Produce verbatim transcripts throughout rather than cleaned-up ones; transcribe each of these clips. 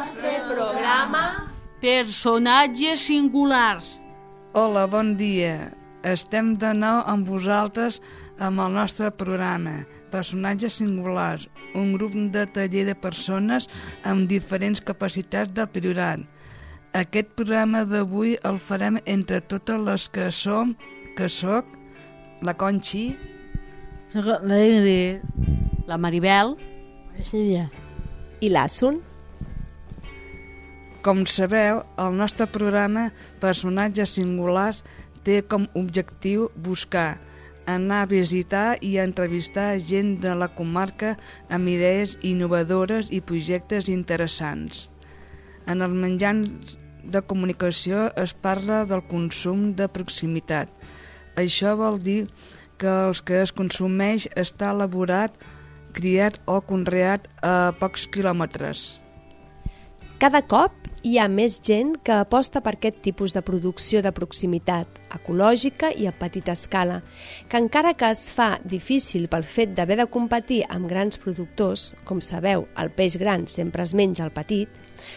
nostre programa Personatges singulars. Hola, bon dia. Estem de nou amb vosaltres amb el nostre programa Personatges singulars, un grup de taller de persones amb diferents capacitats del Priorat. Aquest programa d'avui el farem entre totes les que som, que soc, la Conxi, la Ingrid, la Maribel, la Sílvia i l'Assun. Com sabeu, el nostre programa Personatges singulars té com objectiu buscar, anar a visitar i a entrevistar gent de la comarca amb idees innovadores i projectes interessants. En els mitjans de comunicació es parla del consum de proximitat. Això vol dir que el que es consumeix està elaborat, criat o conreat a pocs quilòmetres. Cada cop hi ha més gent que aposta per aquest tipus de producció de proximitat, ecològica i a petita escala, que encara que es fa difícil pel fet d'haver de competir amb grans productors, com sabeu, el peix gran sempre es menja el petit,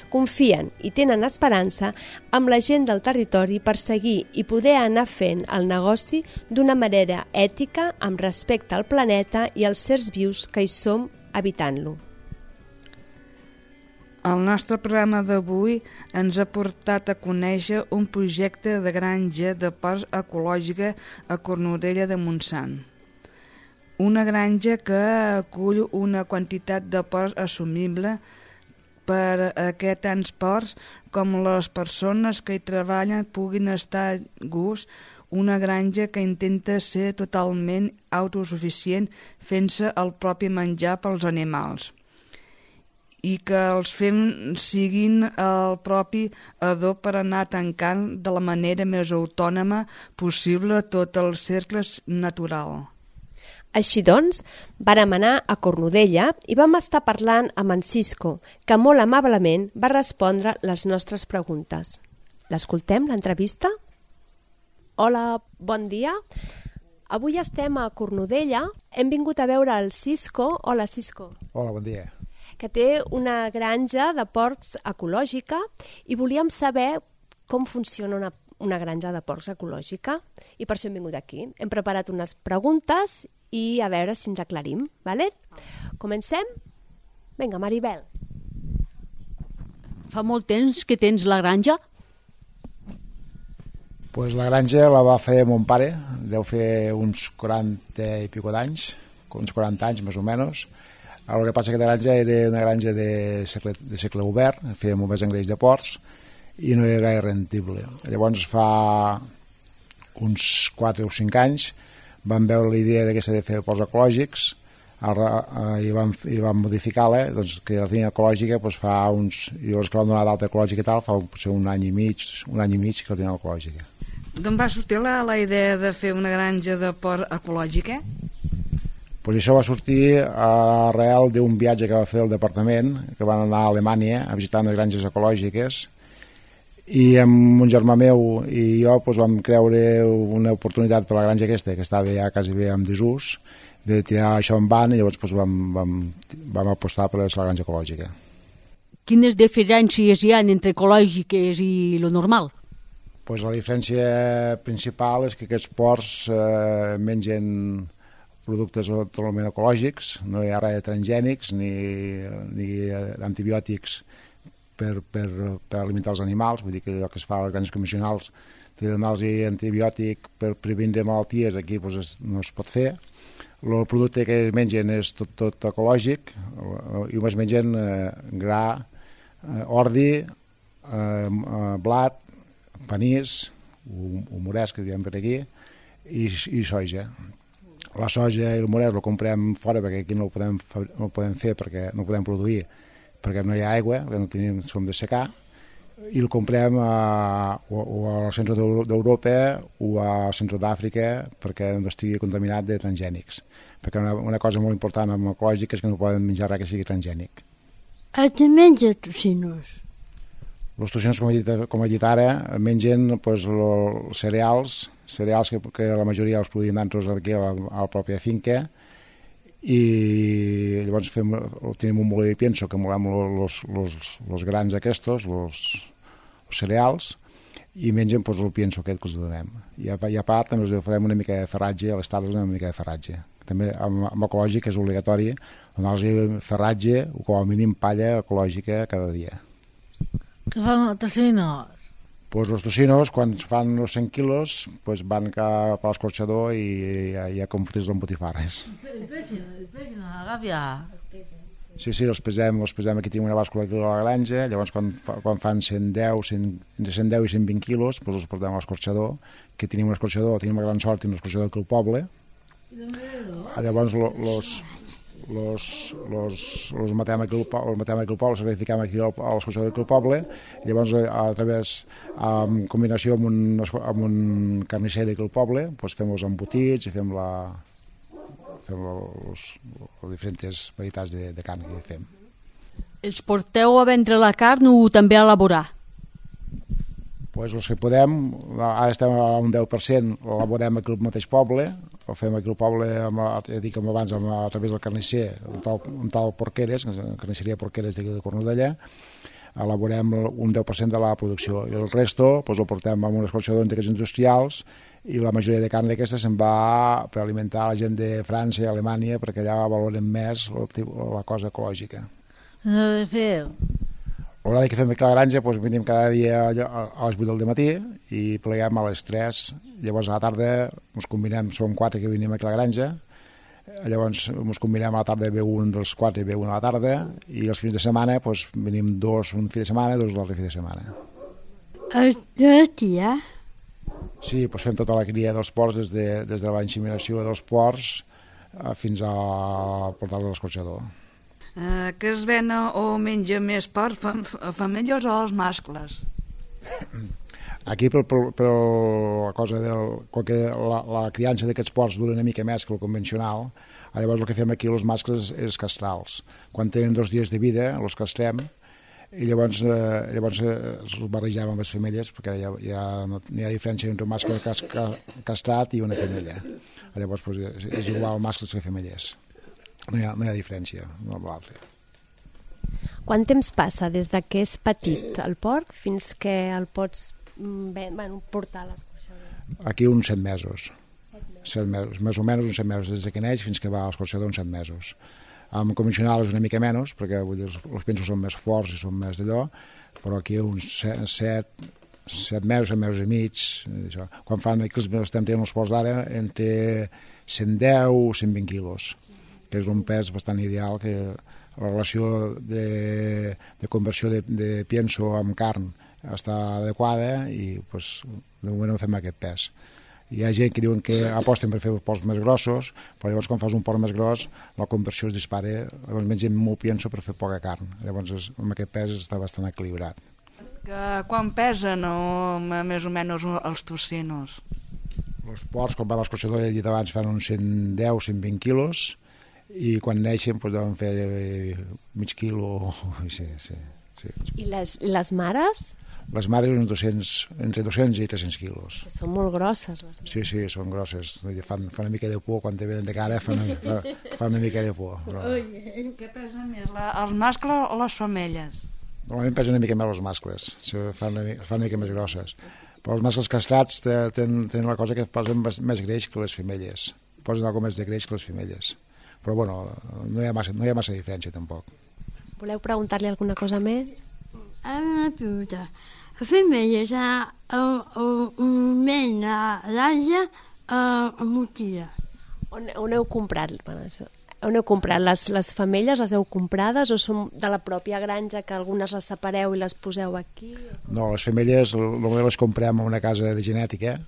confien i tenen esperança amb la gent del territori per seguir i poder anar fent el negoci d'una manera ètica amb respecte al planeta i als sers vius que hi som habitant-lo. El nostre programa d'avui ens ha portat a conèixer un projecte de granja de porcs ecològica a Cornudella de Montsant. Una granja que acull una quantitat de porcs assumible per a que tants porcs com les persones que hi treballen puguin estar a gust, una granja que intenta ser totalment autosuficient fent-se el propi menjar pels animals i que els fem siguin el propi adob per anar tancant de la manera més autònoma possible tot el cercle natural. Així doncs, vàrem anar a Cornudella i vam estar parlant amb en Cisco, que molt amablement va respondre les nostres preguntes. L'escoltem, l'entrevista? Hola, bon dia. Avui estem a Cornudella. Hem vingut a veure el Cisco. Hola, Cisco. Hola, bon dia. Que té una granja de porcs ecològica i volíem saber com funciona una, una granja de porcs ecològica i per això hem vingut aquí. Hem preparat unes preguntes i a veure si ens aclarim, ¿vale? Comencem? Vinga, Maribel. Fa molt temps que tens la granja? Pues la granja la va fer mon pare, deu fer uns quaranta i pico d'anys, uns quaranta anys més o menys. El que passa que la granja era una granja de segle, de segle obert, feia molt més engreix de porcs i no era gaire rendible. Llavors fa uns quatre o cinc anys vam veure la idea d'aquesta de fer porcs ecològics i vam, i vam modificar-la, doncs, que la línia ecològica doncs, fa uns, i llavors que vam donar d'alta ecològica i tal, fa potser un any i mig, un any i mig que la línia ecològica. D'on va sortir la, la idea de fer una granja de porc ecològica? Pues això va sortir arrel d'un viatge que va fer el departament, que van anar a Alemanya a visitar unes granges ecològiques, i amb un germà meu i jo pues, vam creure una oportunitat per la granja aquesta, que estava ja quasi bé en desús, de tirar això en van, i llavors pues, vam, vam, vam apostar per la granja ecològica. Quines diferències hi ha entre ecològiques i lo normal? Pues la diferència principal és que aquests porcs eh, mengen productes totalment ecològics, no hi ha res de transgènics ni, ni antibiòtics per, per, per alimentar els animals, vull dir que allò que es fa a les granges convencionals de donar-los antibiòtic per previndre malalties, aquí doncs, es, no es pot fer. El producte que es mengen és tot, tot ecològic i es mengen eh, gra, eh, ordi, eh, blat, panís, o morès que diem per aquí, i, i soja. La soja i el morès el comprem fora perquè aquí no ho podem, no ho podem fer, perquè no ho podem produir, perquè no hi ha aigua, perquè no tenim, som de secar, i el comprem a, o, o al centre d'Europa o al centre d'Àfrica perquè no estigui contaminat de transgènics. Perquè una, una cosa molt important amb ecològic és que no poden menjar res que sigui transgènic. A què menja tocinos? Els tocinos, com he dit, com he dit ara, mengen pues, els cereals, cereals que, que la majoria els produïm nosaltres aquí a la, a la pròpia finca, i llavors fem, tenim un molí de pienso que molem els grans aquests, els cereals, i mengen doncs, el pienso aquest que els donem. I a, i a part també els farem una mica de ferratge, a les tardes una mica de ferratge. També amb, amb ecològic és obligatori donar-los ferratge o com a mínim palla ecològica cada dia. Què fan els tocinos? Pues els tocinos, quan fan els cent quilos, pues van cap a l'escorxador i ja, ja com fotis amb botifarres. Els peixen, els peixen a la gàbia. Sí, sí, els pesem, els pesem, aquí tenim una bàscula aquí a la granja, llavors quan, quan fan cent deu, cent, entre cent deu i cent vint quilos, pues els portem a l'escorxador, que tenim un escorxador, tenim la gran sort, tenim un escorxador aquí al poble. Llavors los, los, los, los matem aquí al matem aquí al poble, els sacrifiquem aquí a l'escorxador aquí al poble, llavors a través, en combinació amb un, amb un carnisser d'aquí al poble, doncs fem els embotits i fem la fem les diferents varietats de, de carn que fem. Els porteu a vendre la carn o també a elaborar? Pues els que podem, ara estem a un deu per cent, l'elaborem aquí al mateix poble, ho fem aquí al poble, amb, ja dic com abans, amb, a través del carnisser, un tal, un tal Porqueres, carnisseria Porqueres d'aquí de Cornudella, elaborem un deu per cent de la producció, i el resto pues, el portem amb un escorxador d'integrats industrials, i la majoria de carn d'aquesta se'n va per alimentar la gent de França i Alemanya, perquè allà valoren més la cosa ecològica. No ho feu? L'horari que fem aquí a la granja, doncs venim cada dia a les vuit del matí i pleguem a les tres. Llavors a la tarda ens combinem, som quatre que venim aquí a la granja, llavors ens combinem a la tarda ve un dels quatre i ve un a la tarda, i els fins de setmana doncs, venim dos un fi de setmana, dos l'altre fi de setmana. El tia? Sí, doncs fem tota la cria dels porcs des de, des de la inseminació dels porcs fins a portar-los a l'escorxador. Eh, que es vena o menja més porc, fam, femelles o els mascles? Aquí per, per, per la cosa del, que la, la criança d'aquests porcs dura una mica més que el convencional, llavors el que fem aquí els mascles és castrals. Quan tenen dos dies de vida els castrem i llavors, eh, llavors eh, els barregem amb les femelles, perquè ja, ja no hi ha diferència entre un mascle cas, castrat i una femella. Llavors doncs, és igual mascles que femelles. No hi ha, no hi ha diferència no amb l'altre. Quant temps passa des de que és petit el porc fins que el pots ben, bueno, portar a l'escorxador? Aquí uns set mesos. Set mesos. Set mesos. Més o menys uns set mesos, des que neix fins que va a l'escorxador uns set mesos. Amb convencional és una mica menys, perquè vull dir, els, els pensos són més forts i són més d'allò, però aquí uns set, set, set mesos, set mesos i mig. Això. Quan fan, aquí els estem tenint els porcs d'ara entre cent deu i cent vint quilos, que és un pes bastant ideal, que la relació de, de conversió de, de pienso amb carn està adequada i pues, de moment fem aquest pes. Hi ha gent que diuen que aposten per fer porcs més grossos, però llavors quan fas un porc més gros la conversió es dispara, llavors mengem molt pienso per fer poca carn, llavors amb aquest pes està bastant equilibrat. Que quan pesen o més o menys els tocinos? Els porcs quan van a l'escorxador, ja he dit abans, fan uns cent deu a cent vint quilos, i quan neixen doncs, deuen fer mig quilo. Sí, sí, sí. I les, les mares? Les mares uns doscents, entre dos-cents i tres-cents quilos. Són molt grosses. Les sí, sí, són grosses. Fan, fan una mica de por, quan te venen de cara fan, fan, fan una mica de por. Però... Què pesa més, la, els mascles o les femelles? Normalment pesen una mica més els mascles, fan una, fan una mica més grosses. Però els mascles castrats tenen, tenen la cosa que posen més greix que les femelles. Posen alguna més de greix que les femelles. Però bueno, no hi ha massa, no hi ha massa diferència tampoc. Voleu preguntar-li alguna cosa més? Una pregunta. Les femelles almenys a l'Àsia a Mutilla. On, on heu comprat? Bueno, això. On heu comprat? Les, les femelles les heu comprades o són de la pròpia granja que algunes les separeu i les poseu aquí? No, les femelles només les comprem a una casa de genètica,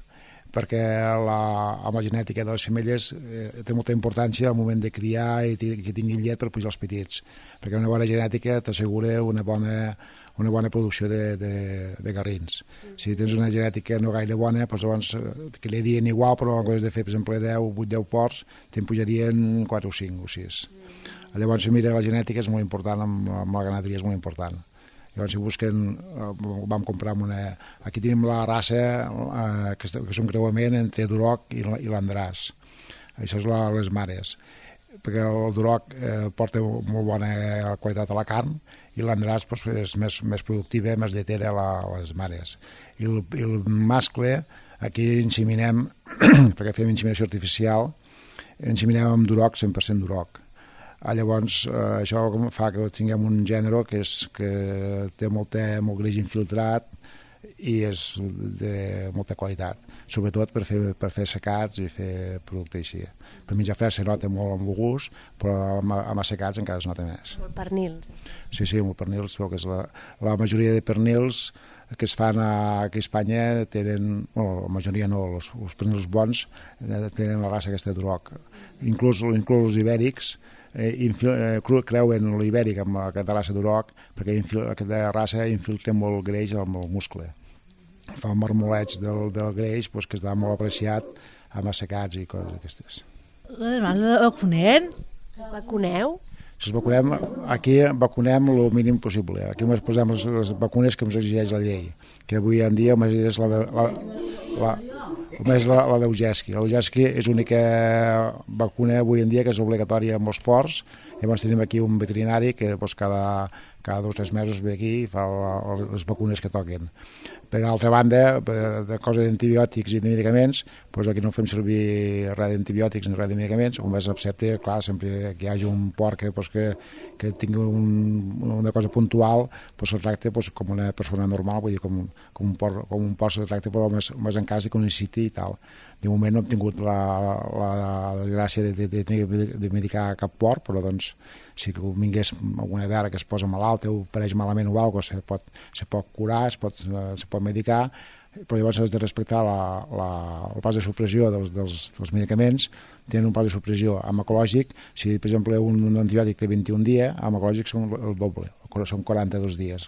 perquè la, amb la genètica de les femelles eh, té molta importància al moment de criar i que tinguin llet per pujar els petits, perquè una bona genètica t'assegura una bona, una bona producció de, de, de garrins. Si tens una genètica no gaire bona, doncs llavors criarien igual, però en comptes de fer, per exemple, deu, vuit, deu porcs, te'n pujarien quatre o cinc o sis. Llavors, mira, la genètica és molt important, amb, amb la ganaderia és molt important. Llavors, si busquen, vam comprar una... Aquí tenim la raça, eh, que és un creuament entre Duroc i l'Andràs. Això és la, les mares. perquè el duroc eh, porta molt bona qualitat a la carn i l'Andràs pues, és més, més productiva, més lletera a, la, a les mares. I el, i el mascle, aquí inseminem, perquè fem inseminació artificial, inseminem amb duroc, cent per cent duroc. Ah, llavors, eh, això fa que tinguem un gènere que, és, que té molt, molt greix infiltrat i és de molta qualitat, sobretot per fer, per fer secats i fer producte així. Per menjar fresc se nota molt amb el gust, però amb, amb secats encara es nota més. Molt pernils. Sí, sí, molt pernils, que és la, la majoria de pernils que es fan a, aquí a Espanya tenen, bueno, la majoria no, els, els pernils bons tenen la raça aquesta de duroc. Inclús, inclús els ibèrics eh, infil, eh, creuen l'ibèric amb aquesta raça duroc perquè infil, aquesta raça infiltra molt greix amb el muscle. Fa un marmoleig del, del greix pues, que està molt apreciat amb assecats i coses aquestes. Les mans es vacunen? Es vacuneu? Si es vacunem, aquí vacunem el mínim possible. Aquí només posem les, les vacunes que ens exigeix la llei, que avui en dia només és la, de, la, la, només la, la d'Eugesqui. L'Eugesqui és l'única vacuna avui en dia que és obligatòria amb els porcs. Llavors tenim aquí un veterinari que doncs, cada, cada dos o tres mesos ve aquí i fa la, les vacunes que toquen. Per altra banda, de coses d'antibiòtics i de medicaments, doncs aquí no fem servir res d'antibiòtics ni res de medicaments, només excepte, clar, sempre que hi hagi un porc que, doncs, que, que tingui un, una cosa puntual, doncs el tracte doncs, com una persona normal, vull dir, com, com un porc, com un porc se tracta, però més, més en cas que ho necessiti i tal. De moment no hem tingut la, la, la desgràcia de, de, de, de medicar cap porc, però doncs si vingués alguna vera que es posa malalta o pareix malament o alguna cosa, se pot, se pot curar, es pot, se pot medicar, però llavors has de respectar la, la, el pas de supressió dels, dels, dels medicaments. Tenen un pas de supressió amb ecològic. Si, per exemple, un, un antibiòtic té vint i un dies, amb ecològic són el doble, són quaranta-dos dies.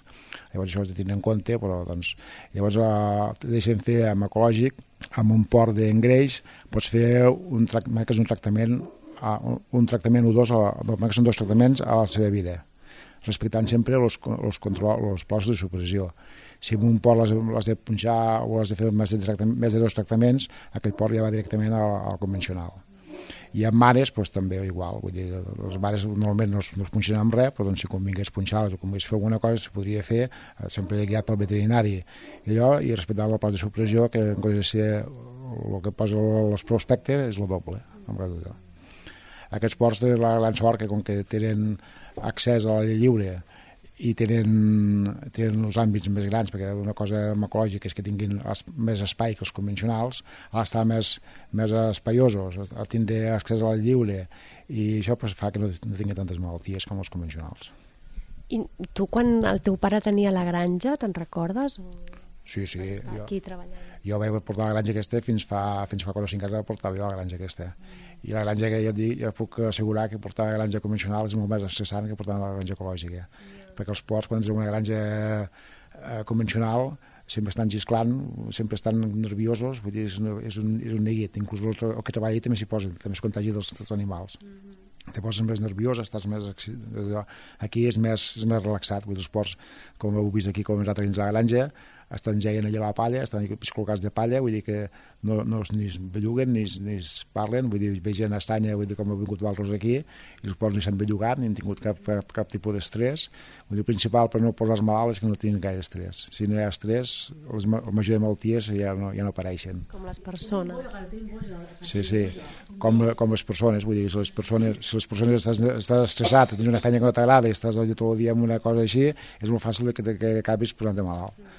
Llavors això has de tenir en compte, però doncs, llavors eh, deixen fer amb ecològic, amb un port d'engreix, pots fer un, que és un tractament, uh, un tractament o dos, que són dos tractaments a la seva vida, respectant sempre els plans de supressió. Si un port l'has de punxar o has de fer més de, més de dos tractaments, aquell port ja va directament al, al convencional. I amb mares doncs, també igual, vull dir, les mares normalment no es, no es punxen amb res, però doncs, si convingués punxar-les o convingués fer alguna cosa, se podria fer, eh, sempre guiat pel veterinari i allò, i respectant el pla de supressió, que en comptes de ser el que posa el prospecte és el doble. Aquests ports tenen la gran sort que com que tenen accés a l'aire lliure i tenen, tenen els àmbits més grans, perquè una cosa ecològica és que tinguin més espai que els convencionals, a l'estar més, més espaiosos, a tindre accés a l'aire lliure, i això pues, fa que no, no tingui tantes malalties com els convencionals. I tu, quan el teu pare tenia la granja, te'n recordes? Sí, sí. Jo, aquí treballant. Jo vaig portar la granja aquesta fins fa, fins fa quatre o cinc anys que portava jo la granja aquesta. I la granja que jo et dic, jo puc assegurar que portar la granja convencional és molt més estressant que portar la granja ecològica. Yeah. Perquè els porcs, quan tens una granja eh, convencional, sempre estan xisclant, sempre estan nerviosos, vull dir, és, és, un, és un neguit. Inclús el, el que treballa també s'hi posa, també es contagi dels, dels animals. Mm-hmm. Te poses més nerviós, estàs més... Aquí és més, és més relaxat, vull dir, els porcs, com heu vist aquí, com nosaltres dins la granja, estan geien allà a la palla, estan col·locats de palla, vull dir que no, no ni es belluguen ni, ni es parlen, vull dir, vegen estanya, vull dir, com heu vingut valros aquí, i els porcs ni s'han bellugat, ni han tingut cap, cap, cap tipus d'estrès. Vull dir, el principal per no posar-los malalts és que no tinguin gaire estrès. Si no hi ha estrès, les, la majoria de malalties ja no, ja no apareixen. Com les persones. Sí, sí, com, com les persones, vull dir, si les persones, si les persones estàs, estàs estressat, tens una feina que no t'agrada i estàs tot el dia amb una cosa així, és molt fàcil que, que acabis posant-te malalt.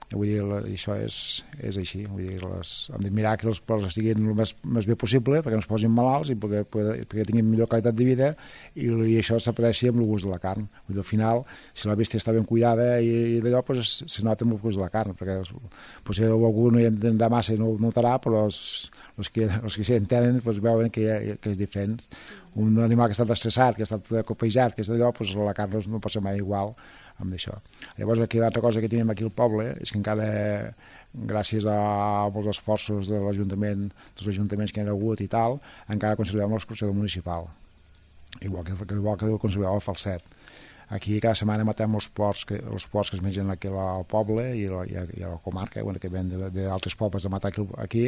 Vull dir, això és, és així. Vull dir, les, hem de mirar que els porcs estiguin el més, més bé possible perquè no es posin malalts i perquè, perquè tinguin millor qualitat de vida i, i això s'apareixi amb el gust de la carn. Vull dir, al final, si la bèstia està ben cuidada i, i d'allò, pues, se nota amb el gust de la carn, perquè potser algú no hi entendrà massa i no ho notarà, però els, els que, els que s'hi entenen pues, veuen que, que és diferent. Un animal que ha estat estressat, que ha estat copejat, que és d'allò, pues, la carn no pot ser mai igual amb això. Llavors, aquí l'altra cosa que tenim aquí al poble és que encara, gràcies a molts esforços de l'Ajuntament, dels ajuntaments que hi ha hagut i tal, encara conservem l'escorxador municipal, igual que, igual que conservem el falset. Aquí cada setmana matem els porcs que, els porcs que es mengen aquí al poble i, la, i, a, i a la comarca, bueno, que ven d'altres pobles a matar aquí, aquí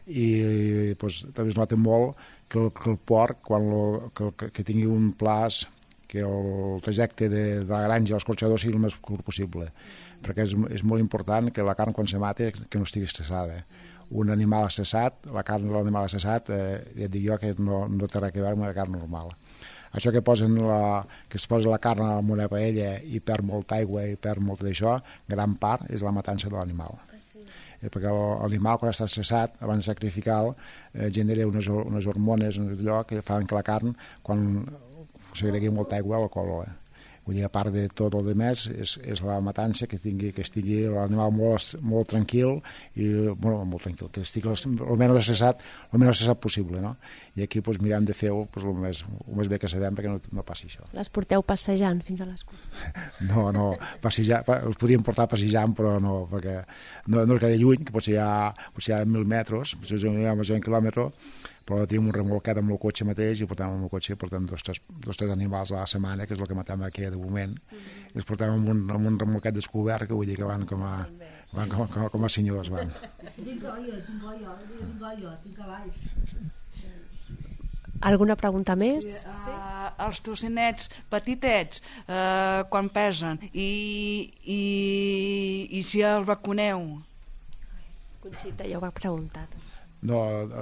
i doncs, també es nota molt que el, que el porc, quan lo, que, que, que tingui un plaç, que el trajecte de, de la granja a l'escorxador sigui el més curt possible, perquè és, és molt important que la carn quan se mata que no estigui estressada. Un animal estressat, la carn de l'animal estressat, eh, ja et dic jo que no, no té res a veure amb la carn normal. Això que, posen la, que es posa la carn en una paella i perd molta aigua i perd molt d'això, gran part és la matança de l'animal. Ah, sí. Eh, perquè l'animal, quan està estressat, abans de sacrificar-lo, eh, genera unes, unes hormones allò, que fan que la carn, quan segregui molta aigua, la cola. Vull dir, a part de tot el demés, és, és la matança, que tingui, que estigui l'animal molt, molt tranquil, i, bueno, molt tranquil, que estigui el menys estressat, el menys estressat possible, no? I aquí doncs, mirem de fer-ho doncs, el, més, el més bé que sabem perquè no, no passi això. Les porteu passejant fins a les curses? No, no, passejar, els podríem portar passejant, però no, perquè no, no és gaire lluny, que potser hi ha, potser hi ha mil metres, potser hi ha més d'un quilòmetre, però tenim un remolcat amb el cotxe mateix i portem amb el cotxe portem dos tres, dos, tres animals a la setmana, que és el que matem aquí de moment, mm. i els portem amb un, amb un remolcat descobert, que vull dir que van com a, van com, com, com a senyors. Van. Tinc ollo, tinc ollo, tinc ollo, tinc cavalls. Alguna pregunta més? Sí, uh, els tocinets petitets, uh, quan pesen, i, i, i si els vacuneu? Conxita, ja ho va preguntar. No,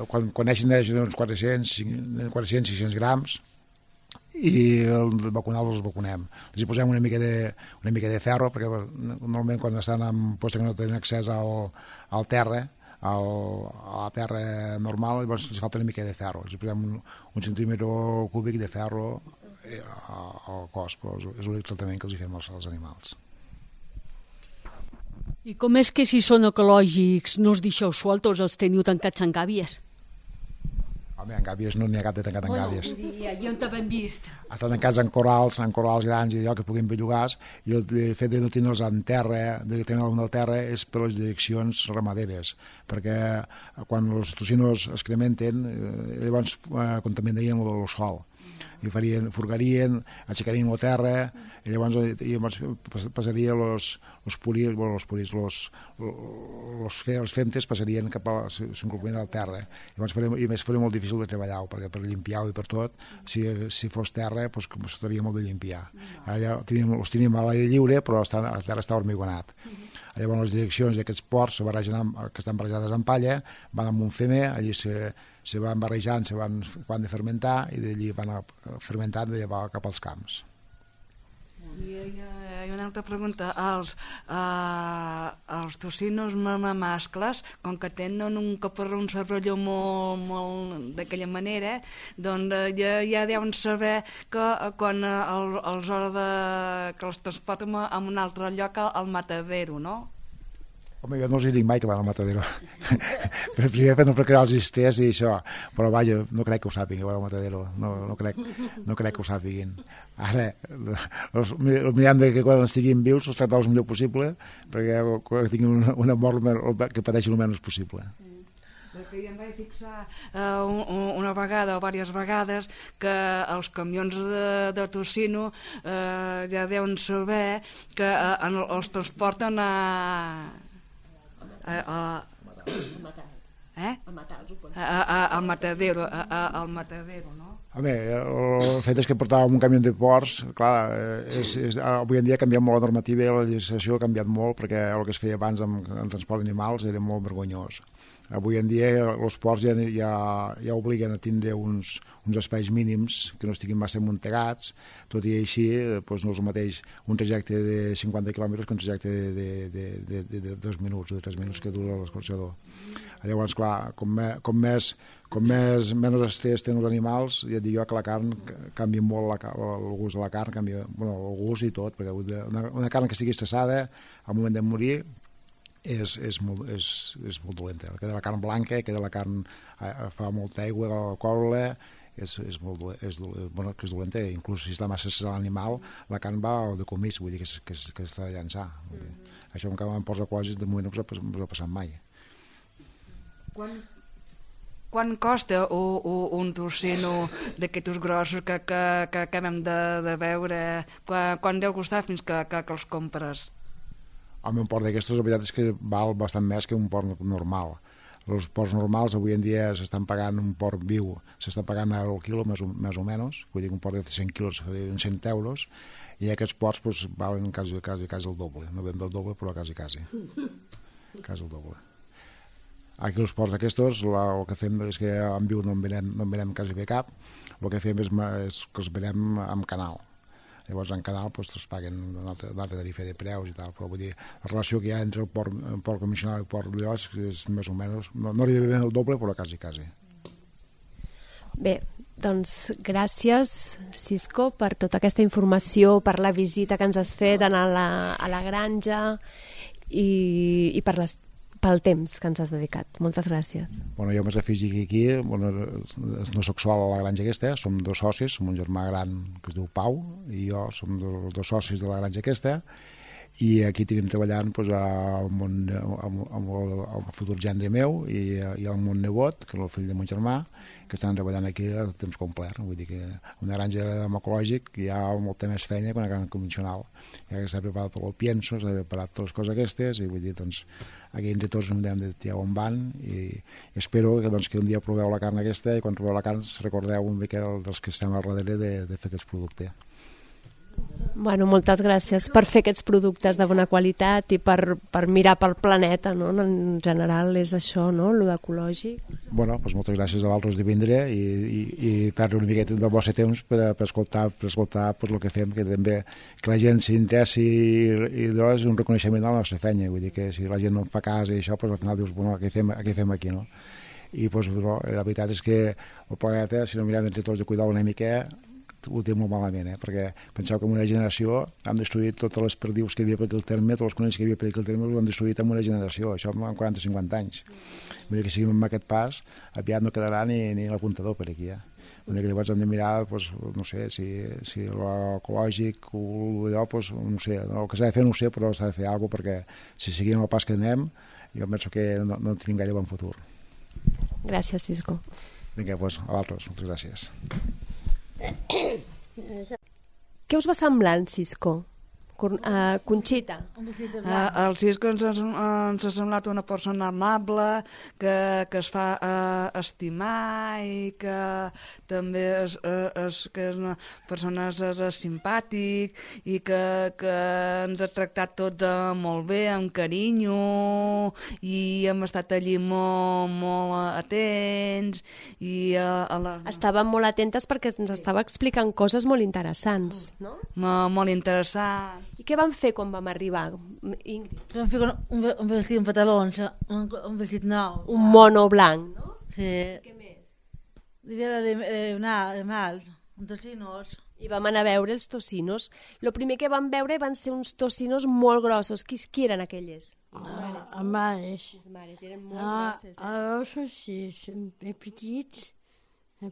quan, quan neixen neixen uns quatre-cents, sis cents grams i el vacunar-los els vacunem. Els hi posem una mica de, una mica de ferro, perquè normalment quan estan en posta que no tenen accés al, al terra, al, a la terra normal, llavors els falta una mica de ferro. Els posem un, un centímetre cúbic de ferro al cos, però és l'únic tractament que els hi fem als, als animals. I com és que si són ecològics no els deixeu sueltos, els teniu tancats en gàbies? Home, en gàbies no n'hi ha cap de tancat en bueno, gàbies. I allà on t'havem vist? Estan tancats en corrals, en corrals grans i allò que puguin bellugars, i el fet de no tenir-los en terra, directament al del terra, és per les direccions ramaderes, perquè quan els tocinos es crementen, eh, llavors eh, contaminarien el sol. I farien, furgarien, aixecarien la terra, i llavors, i llavors passaria los, los purits, bueno, los purits, los, los, fe, els femtes passarien cap a l'incorporament de la terra. Llavors faria, i més faria molt difícil de treballar, perquè per limpiar-ho i per tot, si, si fos terra, doncs costaria molt de limpiar. Allà tenim, els tenim a l'aire lliure, però està, la terra està hormigonat. Llavors les direccions d'aquests ports amb, que estan barrejades en palla van amb un femer, allí se, se van barrejant, se van, van de fermentar i d'allí van a, fermentant i va cap als camps. I hi ha una altra pregunta. Els, uh, els tocinos mascles, com que tenen un caparró, un cervelló molt, molt d'aquella manera, doncs uh, ja, ja deuen saber que uh, quan uh, el, els hora de, que els transporten a un altre lloc al, al matadero, no? Home, jo no els hi dic mai que van al matadero. Però primer per no crear els estrès i això. Però vaja, no crec que ho sàpiguen, que van al matadero. No, no, crec, no crec que ho sàpiguen. Ara, els, els mirem de que quan estiguin vius els tractar el millor possible, perquè quan tinguin una, una mort que pateixin el menys possible. Perquè ja em vaig fixar uh, una vegada o diverses vegades que els camions de, de tocino uh, ja deuen saber que uh, en, els transporten a... a, a, eh? a, a, a matadero, a, a, al matadero, no? Home, el fet és que portàvem un camió de ports, clar, és, és, avui en dia ha canviat molt la normativa i la legislació ha canviat molt, perquè el que es feia abans amb, amb transport d'animals era molt vergonyós. Avui en dia els ports ja, ja, ja obliguen a tindre uns, uns espais mínims que no estiguin massa amuntegats, tot i així doncs no és el mateix un trajecte de cinquanta quilòmetres que un trajecte de, de, de, de, de, de dos minuts o de tres minuts que dura l'escorxador. Llavors, clar, com, me, com més com més menys estrès tenen els animals, ja et dic jo que la carn canvia molt, la, el gust de la carn canvia, bueno, el gust i tot, perquè una, una carn que estigui estressada al moment de morir és, és, molt, és, és molt dolenta. El que de la carn blanca, que de la carn eh, fa molta aigua a la cola, és, és molt és, bueno, que és dolenta, inclús si està massa estressat l'animal, la carn va de comís, vull dir que, que, que s'ha de llançar. Vull dir. Mm-hmm. Això encara en ports ecològics de moment no us ha, us ha passat mai. Quan, quan costa un, un, un tocino d'aquests grossos que, que, que acabem de, de veure? Quan, quan deu costar fins que, que, que els compres? Home, un port d'aquestes, la veritat és que val bastant més que un port normal. Els porcs normals avui en dia s'estan pagant un porc viu, s'està pagant al quilo més o, més o menys, vull dir que un porc de cent quilos seria uns cent euros, i aquests porcs pues, valen quasi, quasi, quasi el doble, no ben del doble però quasi quasi, quasi el doble. Aquí els porcs aquests, la, el que fem és que en viu no en venem, no en venem quasi bé cap, el que fem és, és que els venem amb canal. Llavors en canal doncs, es paguen una altra, una altra tarifa de preus i tal, però vull dir, la relació que hi ha entre el port, el port convencional i el port d'Oliots és més o menys, no, no arriba bé el doble, però quasi, quasi. Bé, doncs gràcies, Cisco, per tota aquesta informació, per la visita que ens has fet a la, a la granja i, i per les pel temps que ens has dedicat. Moltes gràcies. Bueno, jo m'he afegit aquí, bueno, no soc sol a la granja aquesta, som dos socis, som un germà gran que es diu Pau, i jo som dos, dos socis de la granja aquesta, i aquí tenim treballant doncs, amb, un, amb, amb, el, amb el futur gendre meu i, i amb un nebot, que és el fill de mon germà, que estan treballant aquí a temps complet. Vull dir que una granja ecològic hi ha molta més feina que una granja convencional. Ja que s'ha preparat tot el pienso, s'ha preparat totes les coses aquestes, i vull dir, doncs, aquí entre tots hem de tirar on van, i, i espero que, doncs, que un dia proveu la carn aquesta, i quan proveu la carn recordeu un mica dels que estem al darrere de, de fer aquest producte. Bueno, moltes gràcies per fer aquests productes de bona qualitat i per, per mirar pel planeta, no? En general és això, no? Lo d'ecològic. Bueno, doncs moltes gràcies a vosaltres de vindre i, i, i perdre una miqueta del vostre temps per, per escoltar, per escoltar pues, el que fem, que també que la gent s'interessi i, i és un reconeixement de la nostra feina. Vull dir que si la gent no en fa cas i això, pues, al final dius, bueno, què fem, què fem aquí, no? I pues, no, la veritat és que el planeta, si no mirem entre tots de cuidar una mica, ho té molt malament, eh? Perquè penseu que en una generació han destruït totes les perdius que hi havia per aquí al terme, tots els conills que hi havia per aquí al terme ho han destruït en una generació, això en quaranta o cinquanta anys. Vull dir que si amb aquest pas aviat no quedarà ni, ni l'apuntador per aquí, eh? Vull dir que llavors hem de mirar, pues, no sé, si, si l'ecològic o allò, pues, no sé, el que s'ha de fer no ho sé, però s'ha de fer alguna cosa, perquè si seguim el pas que anem, jo penso que no, no tenim gaire bon futur. Gràcies, Cisco. Vinga, doncs, a vosaltres, moltes gràcies. Què us va semblant, Cisco? Uh, Conxita. Uh, el Cisco ens, ens ha semblat una persona amable, que, que es fa uh, estimar i que també és, és, que és una persona és, és simpàtic i que, que ens ha tractat tots uh, molt bé, amb carinyo, i hem estat allí molt, molt atents. I, uh, a la... Estàvem molt atentes perquè ens estava explicant coses molt interessants, no? Molt, molt interessant. I què vam fer quan vam arribar, Ingrid? Vam fer un, un vestit, un pantalons, un, un vestit nou. Un mono blanc, no? Sí. Què més? Devia de animals, un tocinos. I vam anar a veure els tocinos. El primer que vam veure van ser uns tocinos molt grossos. Qui, qui eren aquelles? Les mares. Les mares. Les mares, eren molt Ah, grosses. Eh? alors, sí, són petits,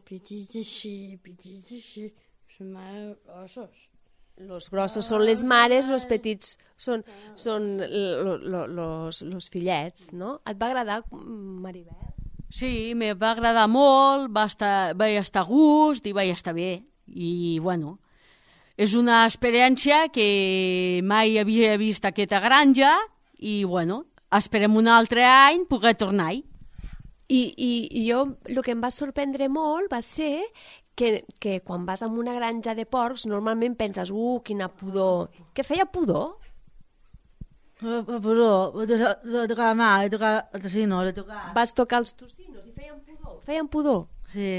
petits així, petits així, són molt grossos. Los grossos són les mares, los petits són, són lo, lo, los, los fillets, no? Et va agradar, Maribel? Sí, me va agradar molt, va estar, vaig estar a gust i vaig estar bé. I, bueno, és una experiència que mai havia vist aquesta granja i, bueno, esperem un altre any poder tornar-hi. I, i, I jo, el que em va sorprendre molt va ser que, que quan vas a una granja de porcs normalment penses, uh, quina pudor. Què feia pudor? Pudor, de tocar la mà, de tocar el tocino, de tocar... Vas tocar els tocinos i feien pudor. Feien pudor? Sí.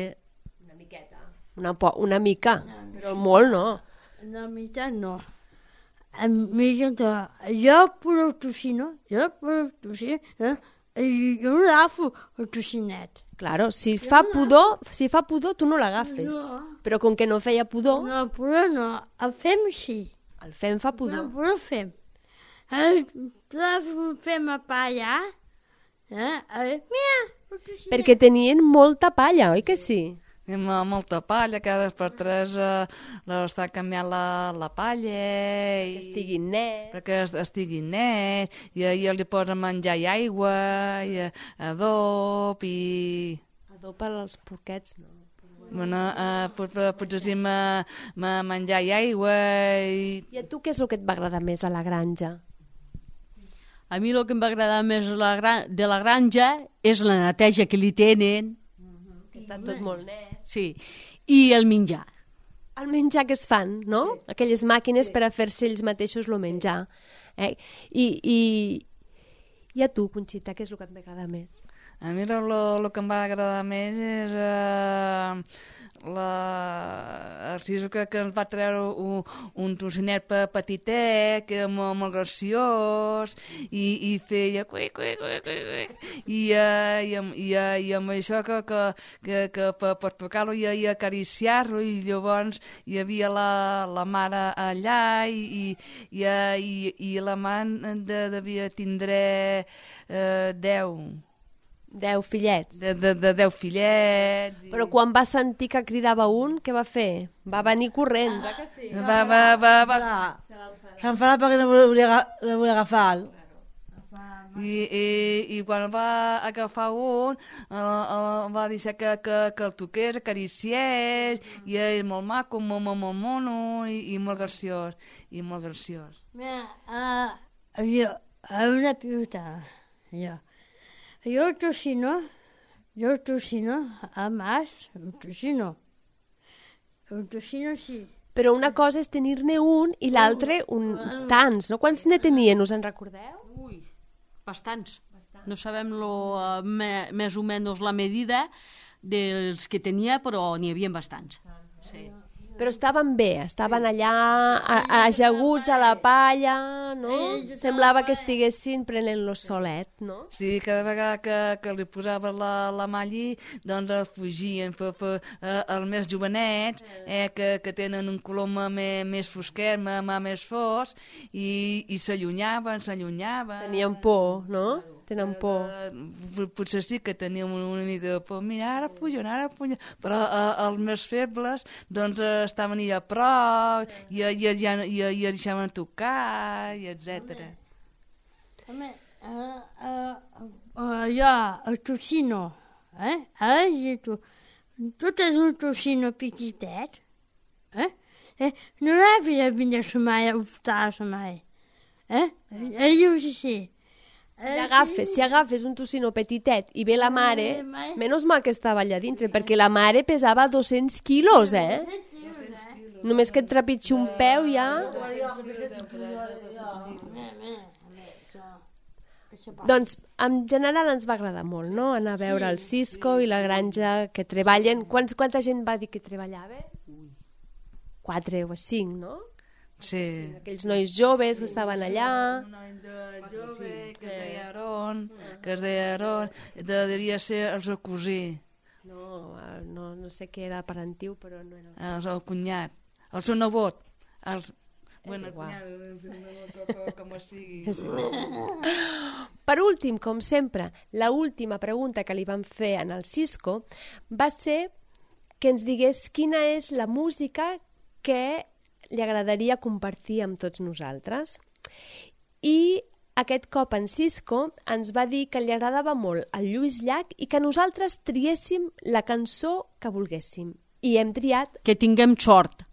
Una miqueta. Una, po una mica, però molt no. Una mica no. A mi, jo, jo puro tocino, jo puro tocino, eh? I jo no l'agafo, el tocinet. Claro, si fa pudor, si fa pudor tu no l'agafes. No. Però com que no feia pudor, No, puro no, el fem així. el fem fa No, pudor. puro fem. El fem a palla, eh? Mira, el tocinet. Perquè tenien molta palla, oi que sí? Amb molta palla, cada per tres eh, l'està canviant la, la palla i, Que estiguin net. perquè es- estigui net, i, i li posa menjar i aigua i eh, adob i... Adopa els porquets, no. Bueno, eh, pot, potser sí ma, ma menjar i aigua i... I a tu què és el que et va agradar més a la granja? A mi el que em va agradar més la gran, de la granja és la neteja que li tenen. Que està tot molt net. Sí, i el menjar. El menjar que es fan, no? Sí. Aquelles màquines sí. per a fer-se ells mateixos el menjar. Eh? I, i, I a tu, Conxita, què és el que et va agradar més? A mi el que em va agradar més és uh, la, el siso que, que ens va treure un, un trocinet petitet, que era molt, molt graciós, i, i feia cui, cui, cui, cui, cui. I, uh, i, amb, i, uh, i amb això que, que, que, que per, per tocar-lo i, i acariciar-lo, i llavors hi havia la, la mare allà, i, i, i, i la mare de, devia tindre uh, deu. Deu fillets. De, de, de deu fillets. I... Però quan va sentir que cridava un, què va fer? Va venir corrents, eh que sí? Va, va, va, va. S'enfadarà perquè no volia, no volia agafar-lo. I, i, I quan va agafar un, el, el, va dir que, que, que el toqués, acariciés, i és molt maco, molt, molt, molt mono, i, i molt graciós, i molt graciós. Mira, uh, jo, una pilota, jo. Yo el tocino, yo el tocino, a más, el tocino. El tocino sí. Però una cosa és tenir-ne un i l'altre un tants, no? Quants ne tenien, us en recordeu? Ui, bastants. Bastants. No sabem lo, uh, me, més o menys la medida dels que tenia, però n'hi havia bastants. Sí. Però estaven bé, estaven allà a, ajaguts a la palla, no? Semblava que estiguessin prenent-lo solet, no? Sí, cada vegada que, que li posava la, la mà allí, doncs fugien, fe, fe, eh, els més jovenets, eh, que, que tenen un color més, més fosquet, més fos, i, i s'allunyaven, s'allunyaven. Tenien por, no? Tenen por. Uh, potser sí que teníem una mica de por. Mira, ara pugen, ara pugen. Però uh, els més febles doncs uh, estaven allà a prop i, i, i, i, i es deixaven tocar, i etcètera. Home, uh, uh, uh, jo, el tocino, eh? Ara tu, tot és un tocino petitet, eh? eh? No l'havia de venir a mai, a oftar-se mai. Eh? Ell ho sé. Si agafes, si agafes un tocino petitet i ve la mare, menys mal que estava allà dintre, perquè la mare pesava dos-cents quilos, eh? Només que et trepitgi un peu ja... Doncs, en general ens va agradar molt, no?, anar a veure el Cisco i la granja que treballen. Quants, quanta gent va dir que treballava? Quatre o cinc, no? Sí. Aquells nois joves que estaven allà. Un noi de jove que es deia Aron, que es deia Aron, de, devia ser el seu cosí. No, no, no sé què era parentiu, però no era... El, el cunyat, el seu nebot. Els... Bueno, igual. Cunyat, el seu nebot, com, com sigui. Per últim, com sempre, la última pregunta que li vam fer en el Cisco va ser que ens digués quina és la música que li agradaria compartir amb tots nosaltres. I aquest cop en Cisco ens va dir que li agradava molt el Lluís Llach i que nosaltres triéssim la cançó que volguéssim. I hem triat... Que tinguem sort.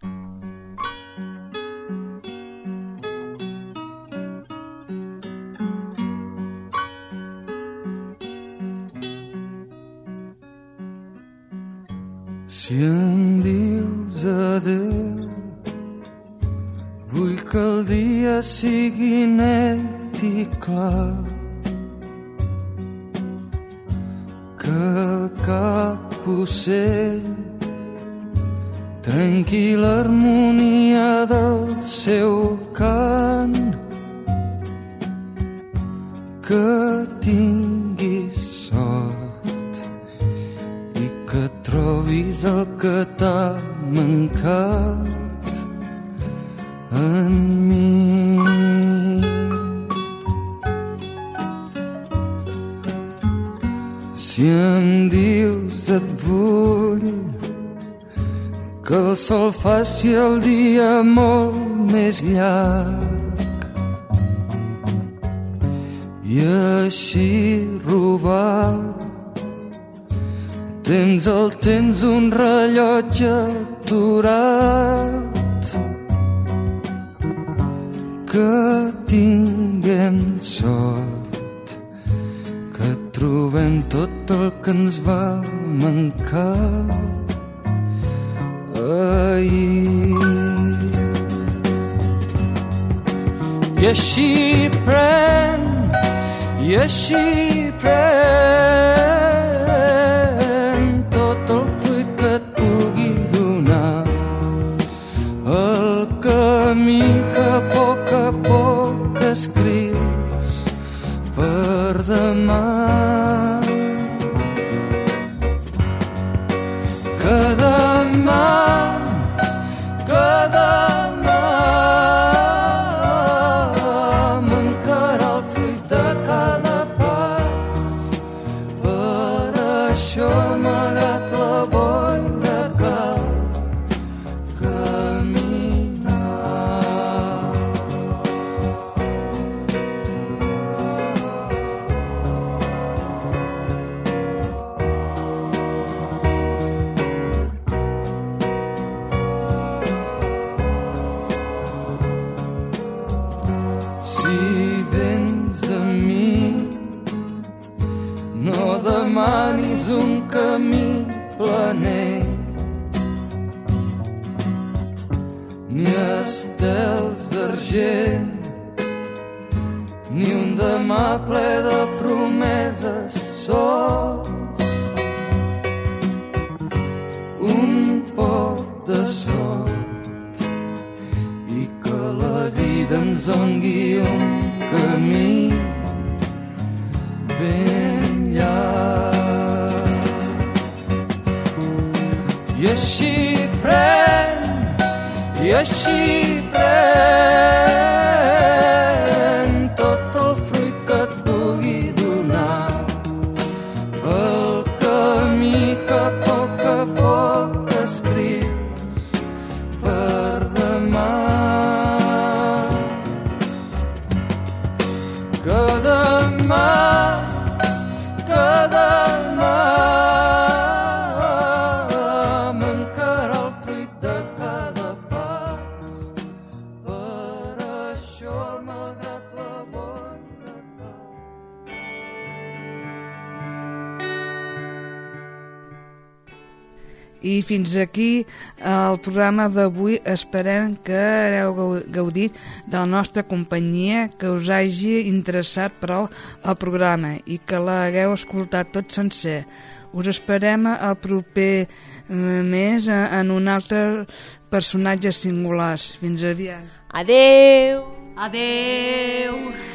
Si em dius adeu, vull que el dia sigui net i clar, que cap ocell trenqui l'harmonia del seu cant, que tinguis sort i que trobis el que t'ha mancat en mi. Si em dius et vull, que el sol faci el dia molt més llarg i així robar tens el temps d'un rellotge aturat, que que tinguem sort, que trobem tot el que ens va mancar ahir. I així pren, i així pren tot el fruit que et pugui donar, el camí que a poc a poc escrius per demà. Que demà, que demà mancarà el fruit de cada pas. Per això, malgrat la boira, cal un camí planer, ni estels d'argent, ni un demà ple de promeses sols, un poc de sort, i que la vida ens doni un camí ben llarg. I així pren, i així pren tot el fruit que et pugui donar, el camí que a poc a poc escrius per demà. Que demà, que demà I fins aquí el programa d'avui. Esperem que hagueu gaudit de la nostra companyia, que us hagi interessat prou el programa i que l'hagueu escoltat tot sencer. Us esperem al proper mes en un altre personatge singulars. Fins aviat. Adeu! Adeu!